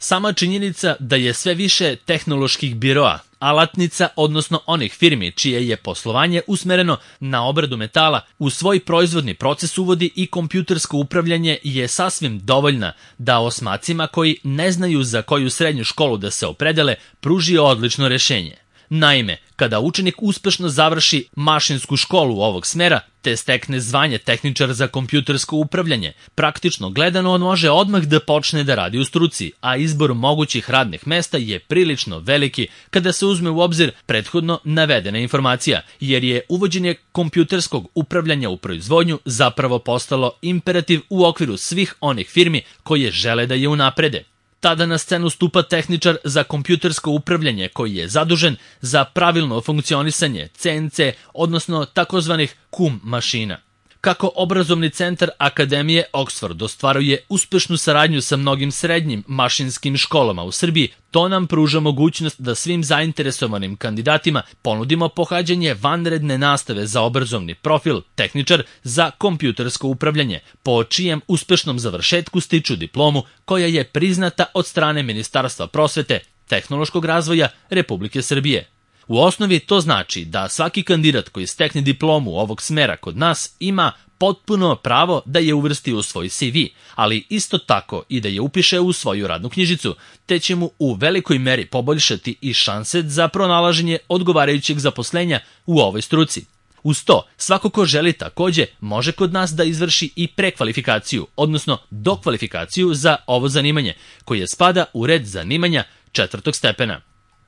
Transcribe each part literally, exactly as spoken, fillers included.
Sama činjenica da je sve više tehnoloških biroa, alatnica, odnosno onih firmi čije je poslovanje usmereno na obradu metala, u svoj proizvodni proces uvodi i kompjutersko upravljanje je sasvim dovoljna da osmacima koji ne znaju za koju srednju školu da se opredele pruži odlično rešenje. Naime, kada učenik uspešno završi mašinsku školu ovog smera, te stekne zvanje tehničar za kompjutersko upravljanje, praktično gledano on može odmah da počne da radi u struci, a izbor mogućih radnih mesta je prilično veliki kada se uzme u obzir prethodno navedena informacija, jer je uvođenje kompjuterskog upravljanja u proizvodnju zapravo postalo imperativ u okviru svih onih firmi koje žele da je unaprede. Tada na scenu stupa tehničar za kompjutersko upravljanje koji je zadužen za pravilno funkcionisanje C N C, odnosno takozvanih C U M mašina. Kako obrazovni centar Akademije Oxford ostvaruje uspešnu saradnju sa mnogim srednjim mašinskim školama u Srbiji, to nam pruža mogućnost da svim zainteresovanim kandidatima ponudimo pohađanje vanredne nastave za obrazovni profil tehničar za kompjutersko upravljanje, po čijem uspešnom završetku stiču diplomu koja je priznata od strane Ministarstva prosvete, tehnološkog razvoja Republike Srbije. U osnovi to znači da svaki kandidat koji stekne diplomu ovog smera kod nas ima potpuno pravo da je uvrsti u svoj C V, ali isto tako i da je upiše u svoju radnu knjižicu, te će mu u velikoj meri poboljšati i šanse za pronalaženje odgovarajućeg zaposlenja u ovoj struci. Uz to, svako ko želi takođe može kod nas da izvrši i prekvalifikaciju, odnosno dokvalifikaciju za ovo zanimanje, koje spada u red zanimanja četvrtog stepena.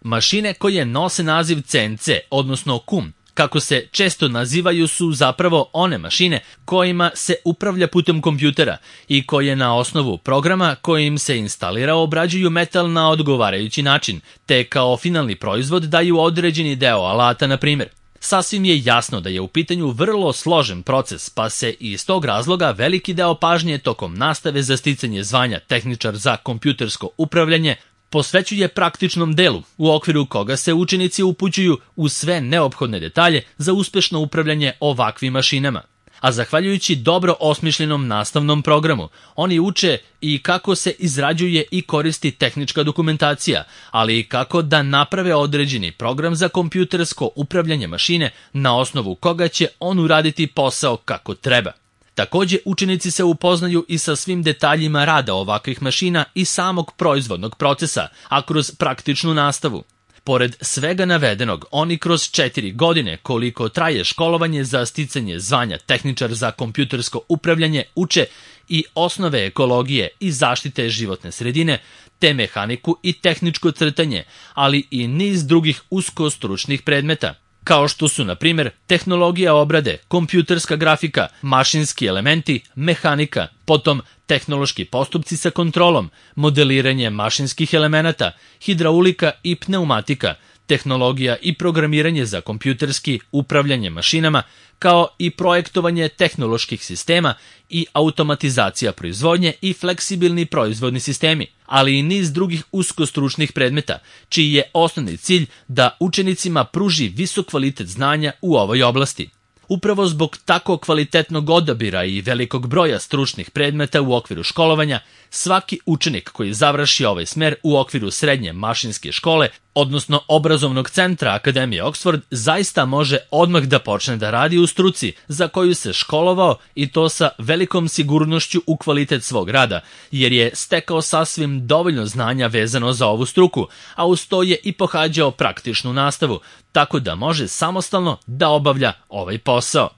Mašine koje nose naziv C N C, odnosno C U M, kako se često nazivaju, su zapravo one mašine kojima se upravlja putem kompjutera i koje na osnovu programa kojim se instalira obrađuju metal na odgovarajući način, te kao finalni proizvod daju određeni deo alata, na primjer. Sasvim je jasno da je u pitanju vrlo složen proces, pa se iz tog razloga veliki deo pažnje tokom nastave za sticanje zvanja tehničar za kompjutersko upravljanje posvećuje praktičnom delu, u okviru koga se učenici upućuju u sve neophodne detalje za uspešno upravljanje ovakvim mašinama. A zahvaljujući dobro osmišljenom nastavnom programu, oni uče i kako se izrađuje i koristi tehnička dokumentacija, ali i kako da naprave određeni program za kompjutersko upravljanje mašine na osnovu koga će on uraditi posao kako treba. Takođe, učenici se upoznaju i sa svim detaljima rada ovakvih mašina i samog proizvodnog procesa, a kroz praktičnu nastavu. Pored svega navedenog, oni kroz četiri godine, koliko traje školovanje za sticanje zvanja tehničar za kompjutersko upravljanje, uče i osnove ekologije i zaštite životne sredine, te mehaniku i tehničko crtanje, ali i niz drugih uskostručnih predmeta, kao što su, na primjer, tehnologija obrade, kompjuterska grafika, mašinski elementi, mehanika, potom tehnološki postupci sa kontrolom, modeliranje mašinskih elemenata, hidraulika i pneumatika, tehnologija i programiranje za kompjuterski upravljanje mašinama, kao i projektovanje tehnoloških sistema i automatizacija proizvodnje i fleksibilni proizvodni sistemi, ali i niz drugih uskostručnih predmeta, čiji je osnovni cilj da učenicima pruži visok kvalitet znanja u ovoj oblasti. Upravo zbog tako kvalitetnog odabira i velikog broja stručnih predmeta u okviru školovanja, svaki učenik koji završi ovaj smer u okviru srednje mašinske škole, odnosno obrazovnog centra Akademije Oxford, zaista može odmah da počne da radi u struci za koju se školovao, i to sa velikom sigurnošću u kvalitet svog rada, jer je stekao sasvim dovoljno znanja vezano za ovu struku, a uz to je i pohađao praktičnu nastavu, tako da može samostalno da obavlja ovaj posao.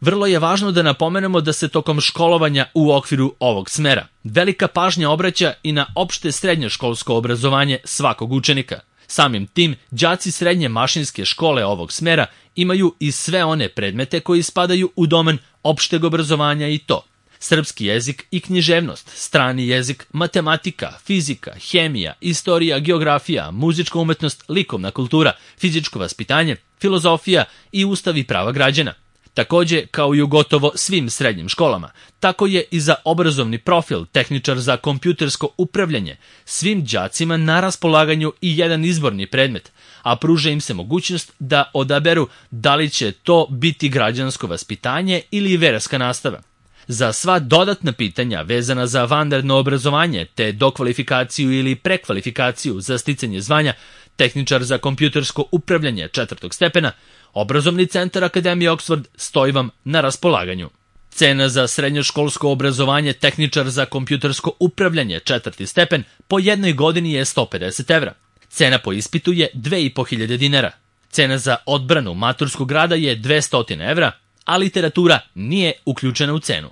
Vrlo je važno da napomenemo da se tokom školovanja u okviru ovog smera velika pažnja obraća i na opšte srednjoškolsko obrazovanje svakog učenika. Samim tim, đaci srednje mašinske škole ovog smera imaju i sve one predmete koji spadaju u domen opšteg obrazovanja, i to srpski jezik i književnost, strani jezik, matematika, fizika, hemija, istorija, geografija, muzička umetnost, likovna kultura, fizičko vaspitanje, filozofija i ustav i prava građana. Takođe, kao i u gotovo svim srednjim školama, tako je i za obrazovni profil tehničar za kompjutersko upravljanje svim đacima na raspolaganju i jedan izborni predmet, a pruža im se mogućnost da odaberu da li će to biti građansko vaspitanje ili verska nastava. Za sva dodatna pitanja vezana za vanredno obrazovanje te dokvalifikaciju ili prekvalifikaciju za sticanje zvanja tehničar za kompjutersko upravljanje četvrtog stepena, Obrazovni centar Akademije Oxford stoji vam na raspolaganju. Cena za srednjoškolsko obrazovanje tehničar za kompjutersko upravljanje četvrti stepen po jednoj godini je sto pedeset evra. Cena po ispitu je dve i po hiljade dinara. Cena za odbranu maturskog rada je dvesta evra, a literatura nije uključena u cenu.